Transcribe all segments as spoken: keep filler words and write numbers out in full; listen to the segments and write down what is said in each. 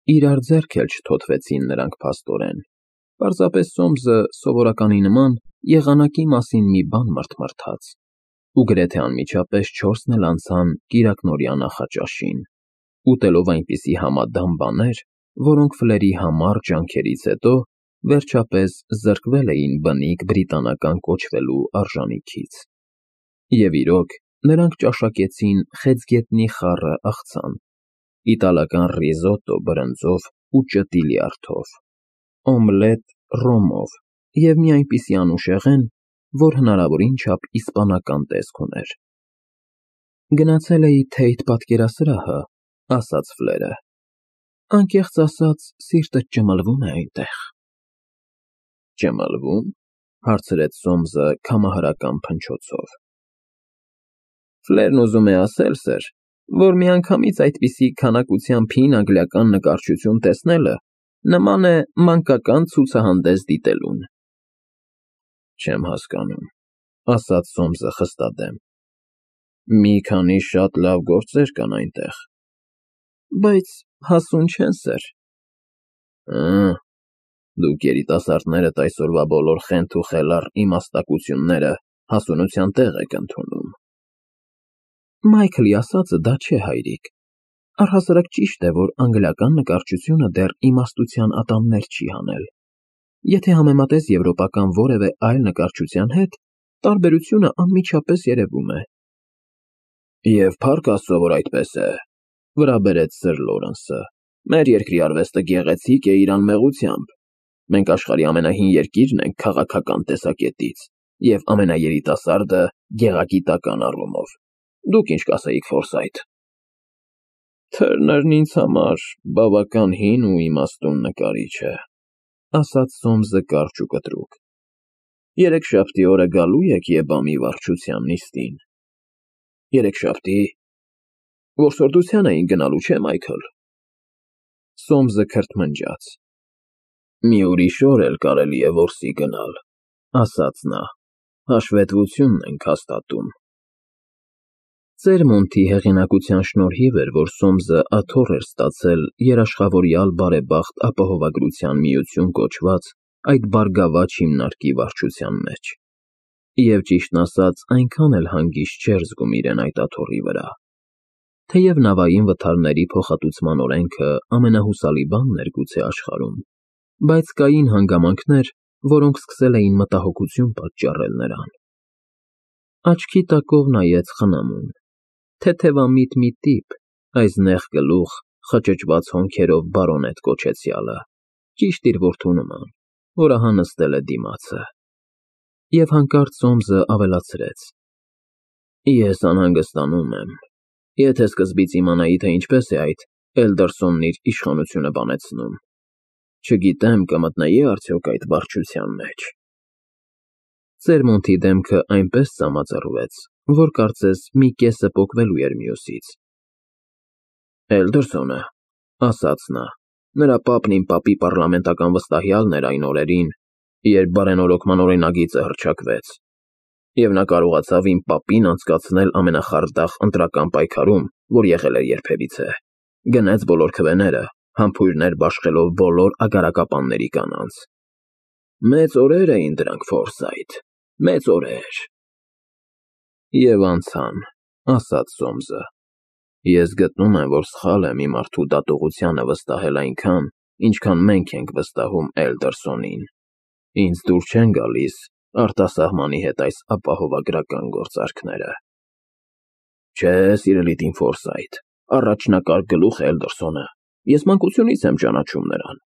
Իրար ձեռք էլ չթոթվեցին նրանք փաստորեն, պարզապես Սոմսը սովորականի նման եղանակի մասին մի բան մռթմռթաց, ու գրեթե անմիջապես չորսն էլ անցան կիրակնօրյա նախաճաշին, ուտելով այնպիսի համադամ բաներ, որոնք Ֆլերի համառ ջանքերից հետո վերջապես զրկվել էին բնիկ բրիտանական կոչվելու արժանիքից։ Եվ իրոք, նրանք ճաշակեցին խեցգետնի խառը աղցան, իտալական ռիզոտտո բրնձով ու ճտի լյարդով, օմլետ ռոմով և մի այնպիսի անուշեղեն, որ հնարավորին չափ իսպանական տեսք ուներ։ «Գնացել էի Թեյթ պատկերասրահը,֊ ասաց Ֆլերը,֊ անկեղծ ասած, սիրտդ ճմլվում է այնտեղ»։ «Ճմլվո՞ւմ,֊ հարցրեց Սոմսը քամահարական փնչոցով։ Ֆլերն ուզում է ասել, սըր, որ միանգամից այդպիսի քանակությամբ հին անգլիական նկարչություն տեսնելը նման է մանկական ցուցահանդես դիտելուն։ Չեմ հասկանում,֊ ասաց Սոմսը խստադեմ։ Մի քանի շատ լավ գործեր կան այնտեղ։ Բայց հասուն չեն, սըր։ Ա, դուք երիտասարդներդ այսօրվա բոլոր խենթ ու խելառ իմաստակությունները հասունության տեղ եք ընդունում։ Մայքլի ասածը դա չէ, հայրիկ։ Առհասարակ ճիշտ է, որ անգլիական նկարչությունը դեռ իմաստության ատամներ չի հանել։ Եթե համեմատես եվրոպական որևէ այլ նկարչության հետ, տարբերությունը անմիջապես երևում է։ Եվ փառք Աստծո, որ այդպես է,֊ վրա բերեց սըր Լորենսը։ Մեր երկրի արվեստը գեղեցիկ է իր անմեղությամբ։ Մենք աշխարհի ամենահին երկիրն ենք քաղաքական տեսակետից և ամենաերիտասարդը գեղագիտական առումով։ Դուք ինչ կասեիք, Ֆորսայթ։ Թըրներն ինձ համար բավական հին ու իմաստուն նկարիչ է,֊ ասաց Սոմսը կարճ ու կտրուկ։ Երեքշաբթի օրը գալո՞ւ եք Եբամի վարչության նիստին։ Երեքշաբթի՞։ Որսորդության էինք գնալու, չէ՞, Մայքլ։ Սոմսը քրթմնջաց։ Մի ուրիշ օր էլ կարելի է որսի գնալ,֊ ասաց նա։ Հաշվետվությունն ենք հաստատում։ Ծերմոնտի հեղինակության շնորհիվ էր, որ Սոմսը աթոռ էր ստացել Երաշխավորյալ բարեբախտ ապահովագրության միություն կոչված այդ բարգավաճ հիմնարկի վարչության մեջ։ Եվ ճիշտն ասած, այնքան էլ հանգիստ չէր զգում իրեն այդ աթոռի վրա։ Թեև նավային վթարների փոխհատուցման օրենքը ամենահուսալի բանն էր գուցե աշխարհում, բայց կային հանգամանքներ, որոնք սկսել էին մտահոգություն պատճառել նրան։ Աչքի տակով նայեց խնամուն։ Թեթևամիտ մի տիպ, այս նեղ գլուխ, խճճված հոնքերով բարոնետ կոչեցյալը, ճիշտ իր որդու նման, որ ահա նստել է դիմացը։ Եվ հանկարծ Սոմսը ավելացրեց. Ես անհանգստանում եմ։ Եթե սկզբից իմանայի, թե ինչպես է այդ Էլդերսոնն իր իշխանությունը բանեցնում, չգիտեմ կմտնեի՞ արդյոք այդ վարչության մեջ։ Ծերմոնտի դեմքը այնպես ծամածռվեց, որ կարծես մի կեսը պոկվելու էր մյուսից։ Էլդերսոնը,֊ ասաց նա, նրա պապն իմ պապի պառլամենտական վստահյալն էր այն օրերին, երբ բարենորոգման օրինագիծը հռչակվեց, և նա կարողացավ իմ պապին անցկացնել ամենախարդախ ընտրական պայքարում, որ եղել էր երբևիցե, գնեց բոլոր քվեները, համբույրներ բաշխելով բոլոր ագարակապանների կանանց։ Մեծ օրեր էին դրանք, Ֆորսայթ, մեծ օրեր։ Եվ անցան, ասաց Սոմսը։ Ես գտնում եմ, որ սխալ եմ իմ մարդու դատողությանը վստահել այնքան, ինչքան մենք ենք վստահում Էլդերսոնին։ Ինձ դուր չեն գալիս արտասահմանի հետ այս ապահովագրական գործարքները։ Չէ, սիրելի տին Ֆորսայթ, առաջնակարգ գլուխ է Էլդերսոնը։ Ես մանկությունից եմ ճանաչում նրան։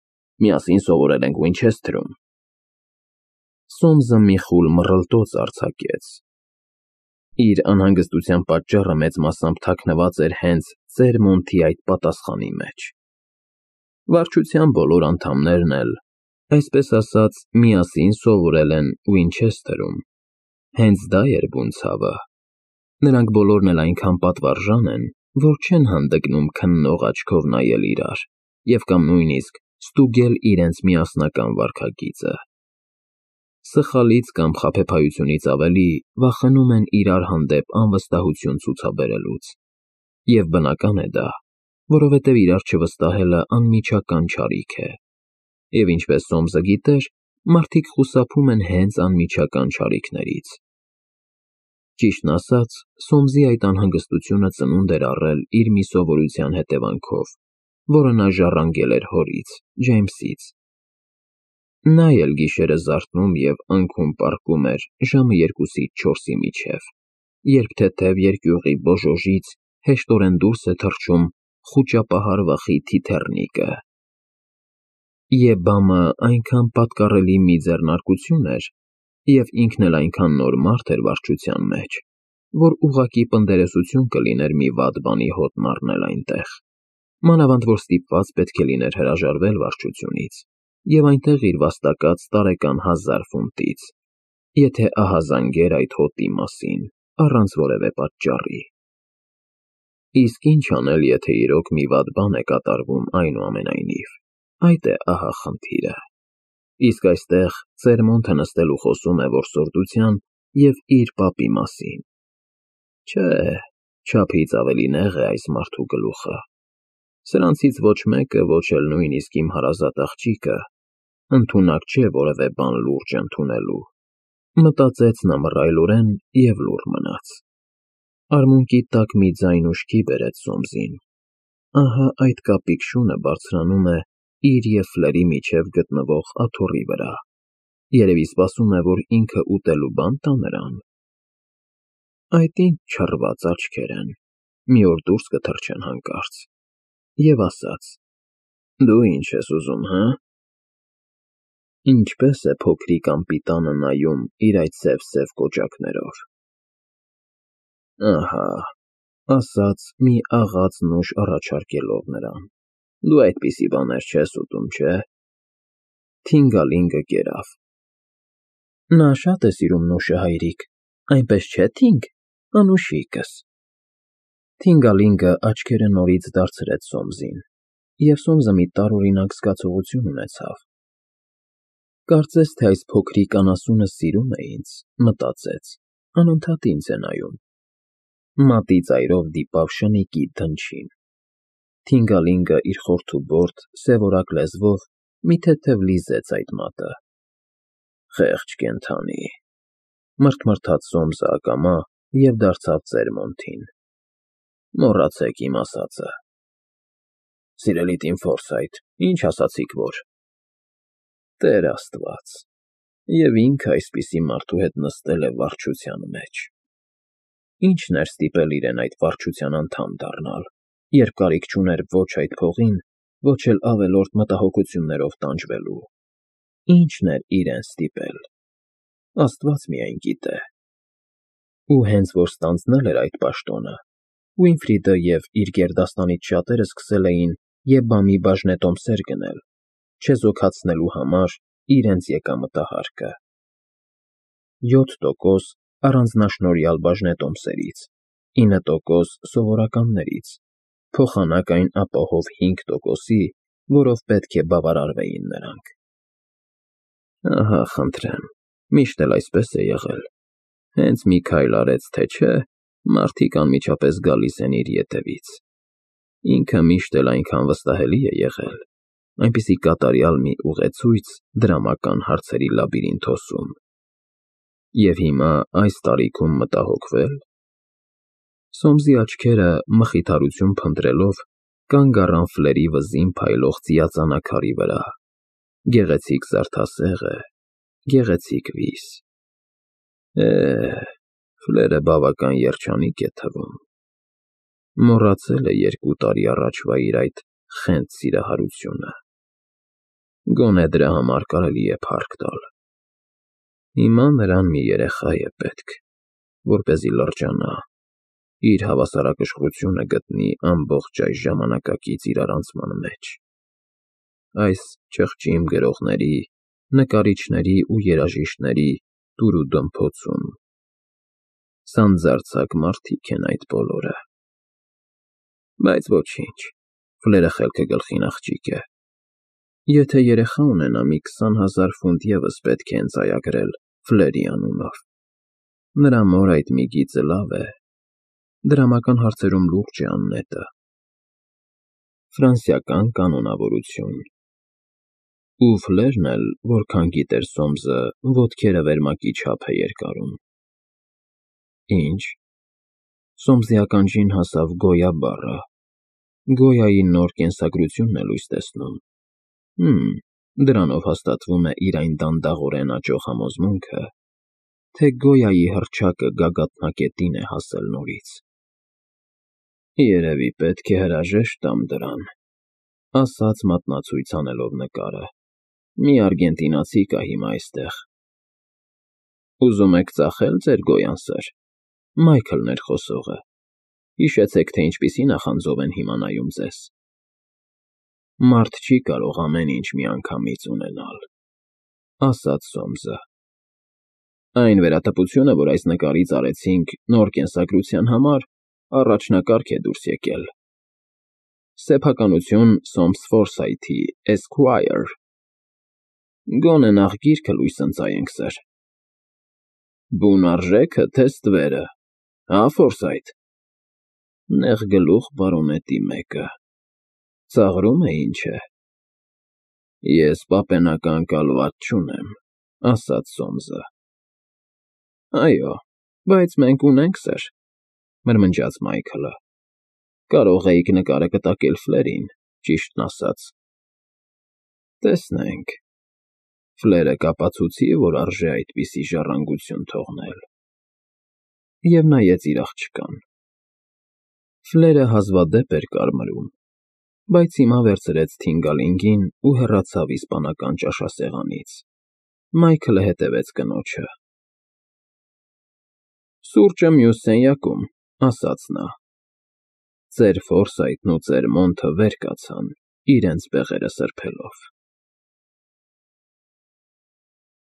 Միասին սովորել ենք Ուինչեսթերում։ Սոմսը մի խուլ մռլտոց արձակեց։ Իր անհանգստության պատճառը մեծ մասամբ թաքնված էր հենց Ծերմոնտի այդ պատասխանի մեջ։ Վարչության բոլոր անդամներն էլ, այսպես ասած, միասին սովորել են Ուինչեսթերում։ Հենց դա էր բուն ցավը։ Նրանք բոլորն էլ այնքան պատվարժան են, որ չեն հանդգնում քննող աչքով նայել իրար և կամ նույնիսկ ստուգել իրենց միասնական վարքագիծը։ Սխալից կամ խաբեբայությունից ավելի վախենում են իրար հանդեպ անվստահություն ցուցաբերելուց։ Եվ բնական է դա, որովհետև իրար չվստահելը անմիջական չարիք է, և ինչպես Սոմսը գիտեր, մարդիկ խուսափում են հենց անմիջական չարիքներից։ Ճիշտն ասած, Սոմսի այդ անհանգստությունը ծնունդ էր առել իր մի սովորության հետևանքով, որը նա ժառանգել էր հորից՝ Ջեյմսից։ Նա էլ գիշերը զարթնում և անքուն պառկում էր ժամը երկուսից չորսի միջև, երբ թեթև երկյուղի բոժոժից հեշտորեն դուրս է թռչում խուճապահար վախի թիթեռնիկը։ Եբամը այնքան պատկառելի մի ձեռնարկություն էր, և ինքն էլ այնքան նոր մարդ էր վարչության մեջ, որ ուղղակի պնդերեսություն կլիներ մի վատ բանի հոտն առնել այնտեղ, մանավանդ որ ստիպված պետք է լիներ հրաժարվել վարչությունից և այնտեղ իր վաստակած տարեկան հազար ֆունտից, եթե ահազանգեր այդ հոտի մասին, առանց որևէ պատճառի։ Իսկ ինչ անել, եթե իրոք մի վատ բան է կատարվում այնուամենայնիվ, այդ է ահա խնդիրը։ Իսկ այստեղ Ծերմոնտը նստել ու խոսում է որսորդության և իր պապի մասին։ Չէ, չափից ավելի նեղ է այս մարդու գլուխը։ Սրանցից ոչ մեկը, ոչ էլ նույնիսկ իմ հարազատ աղջիկը, ընդունակ չէ որևէ բան լուրջ ընդունելու, մտածեց նա մռայլորեն և լուռ մնաց։ Արմունկի տակ մի ձայն ուշքի բերեց Սոմսին։ Ահա այդ կապիկ շունը բարձրանում է իր և Ֆլերի միջև գտնվող աթոռի վրա, երևի սպասում է, որ ինքը ուտելու բան տա նրան։ Այդ ինչ չռված աչքեր են, մի օր դուրս կթռչեն հանկարծ։ Եվ ասաց. «Դու ինչ ես ուզում, հը»։ Ինչպե՞ս է փոքրիկ անպիտանը նայում իր այդ սև֊սև կոճակներով։ Ահա, ասաց մի աղաց նուշ առաջարկելով նրան, դու այդպիսի բաներ չես ուտում, չէ՞։ Թինգալինգը կերավ. Նա շատ է սիրում նուշը, հայրիկ, այնպես չէ՞, Թինգ, անուշիկս։ Թինգալինգը աչքերը նորից դարձրեց Սոմսին, և Սոմսը մի տարօրինակ զգացողություն ունեցավ։ Կարծես թե այս փոքրիկ անասունը սիրում է ինձ, մտածեց, անընդհատ ինձ է նայում։ Մատի ծայրով դիպավ շնիկի դնչին։ Թինգալինգը իր խորթուբորդ, սևորակ լեզվով մի թեթև լիզեց այդ մատը։ Խեղճ կենդանի, մռթմռթաց Սոմսը ակամա և դարձավ Ծերմոնտին։ Մոռացեք իմ ասածը։ Սիրելի տին Ֆորսայթ, ինչ ասացիք որ։ Տեր Աստված, և ինքը այսպիսի մարդու հետ նստել է վարչության մեջ։ Ի՞նչն էր ստիպել իրեն այդ վարչության անդամ դառնալ, երբ կարիք չուներ ոչ այդ փողին, ոչ էլ ավելորդ մտահոգություններով տանջվելու։ Ի՞նչն էր իրեն ստիպել։ Աստված միայն գիտե։ Ու հենց որ ստանձնել էր այդ պաշտոնը, Ուինֆրիդը և իր գերդաստանից շատերը սկսել էին Եբամի բաժնետոմսեր գնել, չեզոքացնելու համար իրենց եկամտահարկը։ Յոթ տոկոս առանձնաշնորհյալ բաժնետոմսերից, ինը տոկոս սովորականներից, փոխանակ այն ապահով հինգ տոկոսի, որով պետք է բավարարվեին նրանք։ Ահա, խնդրեմ, միշտ էլ այսպես է եղել։ Հենց մի քայլ արեց, թե չէ, մարդիկ անմիջապես գալիս են իր ետևից։ Ինքը միշտ էլ այնքան վստահելի է եղել, այնպիսի կատարյալ մի ուղեցույց դրամական հարցերի լաբիրինթոսում։ Եվ հիմա այս տարիքում մտահոգվե՞լ։ Սոմսի աչքերը, մխիթարություն փնտրելով, կանգ առան Ֆլերի վզին փայլող ծիածանաքարի վրա։ Գեղեցիկ զարդասեղ է, գեղեցիկ վիզ։ Է, Ֆլերը բավական երջանիկ է թվում։ Մոռացել է երկու տարի առաջվա իր այդ խենթ սիրահարությունը։ Գոնե դրա համար կարելի է փառք տալ։ Հիմա նրան մի երեխա է պետք, որպեսզի լրջանա, իր հավասարակշռությունը գտնի ամբողջ այս ժամանակակից իրարանցման մեջ, այս չխճիմ գրողների, նկարիչների ու երաժիշտների դուր ու դմփոցում։ Սանձարձակ մարդիկ են այդ բոլորը։ Բայց ոչինչ, Ֆլերը խելքը գլխին աղջիկ է։ Եթե երեխա ունենա, մի քսան հազար ֆունտ ևս պետք է ընծայագրել Ֆլերի անունով։ Նրա մոր այդ մի գիծը լավ է, դրամական հարցերում լուրջ է աննետը։ Ֆրանսիական կանոնավորություն։ Ու Ֆլերն էլ, որքան գիտեր Սոմսը, ոտքերը վերմակի չափ է երկարում։ Ինչ։ Սոմսի ականջին հասավ Գոյա բառը։ Գոյայի նոր կենսագրությունն է լույս տեսնում։ Հըմ, դրանով հաստատվում է իր այն դանդաղորեն աճող համոզմունքը, թե Գոյայի հռչակը գագաթնակետին է հասել նորից։ Երևի պետք է հրաժեշտ տամ դրան, ասաց մատնացույց անելով նկարը։ Մի արգենտինացի կա հիմա այստեղ։ Ուզում եք ծախե՞լ ձեր Գոյան, սըր։ Մայքլն էր խոսողը։ Հիշեցեք, թե ինչպիսի նախանձով են հիմա նայում ձեզ։ Մարդ չի կարող ամեն ինչ միանգամից ունենալ, ասաց Սոմսը։ Այն վերատպությունը, որ այս նկարից արեցինք նոր կենսագրության համար, առաջնակարգ է դուրս եկել։ Սեփականություն Սոմս Ֆորսայթի, Esquire։ Գոնե նախ գիրքը լույս ընծայենք, սըր։ Բուն արժեքը, թե ստվերը, հա, Ֆորսայթ։ Նեղ գլուխ բարոնետի մեկը։ Ծաղրում է, ինչ է։ Ես պապենական կալվաց չունեմ, ասաց Սոմսը։ Այո, բայց մենք ունենք, սըր, մրմնջաց Մայքլը։ Կարող էիք նկարը կտակել Ֆլերին, ճիշտն ասած։ Տեսնենք։ Ֆլերը կապացուցի, որ արժե այդպիսի ժառանգություն թողնել։ Եվ նայեց իր աղջկան։ Ֆլերը հազվադեպ էր կարմրում, բայց հիմա վերցրեց թինգալինգին ու հեռացավ իսպանական ճաշասեղանից։ Մայքլը հետևեց կնոջը։ Սուրճը մյուս սենյակում, ասաց նա։ Ծեր Ֆորսայթն ու ծեր Մոնթը վեր կացան, իրենց բեղերը սրբելով։